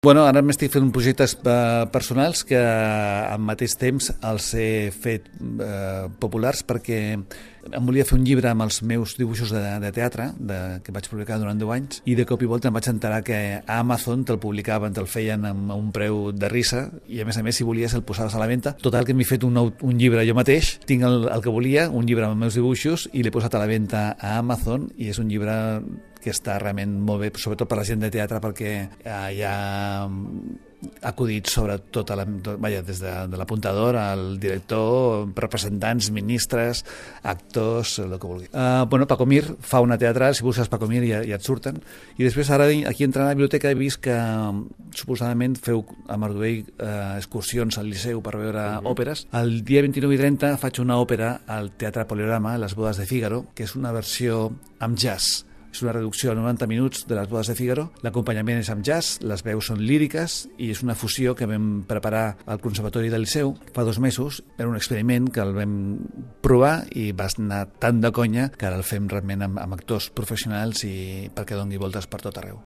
Bueno, ara m'estic fent projectes personals que al mateix temps els he fet populars perquè em volia fer un llibre amb els meus dibuixos de teatre que vaig publicar durant 10 anys i de cop i volta em vaig enterar que a Amazon te'l publicaven, te'l feien amb un preu de risa i a més si volies el posaves a la venda. Total que m'he fet un llibre jo mateix, tinc el que volia, un llibre amb els meus dibuixos i l'he posat a la venda a Amazon i és un llibre que està realment molt bé, sobretot per la gent de teatre, perquè hi ha acudits sobre des de l'apuntador al director, representants, ministres, actors, el que vulgui. Paco Mir fa una teatral, si busques Paco Mir ja et surten, i després ara aquí entrant a la biblioteca he vist que suposadament feu a Marduell excursions al Liceu per veure òperes. El dia 29 i 30 faig una òpera al Teatre Poliorama, Les bodes de Fígaro, que és una versió amb jazz. És una reducció a 90 minuts de Les bodes de Fígaro. L'acompanyament és amb jazz, les veus són líriques i és una fusió que vam preparar al Conservatori del Liceu fa 2 mesos. Era un experiment que el vam provar i va anar tan de conya que ara el fem realment amb actors professionals i perquè doni voltes per tot arreu.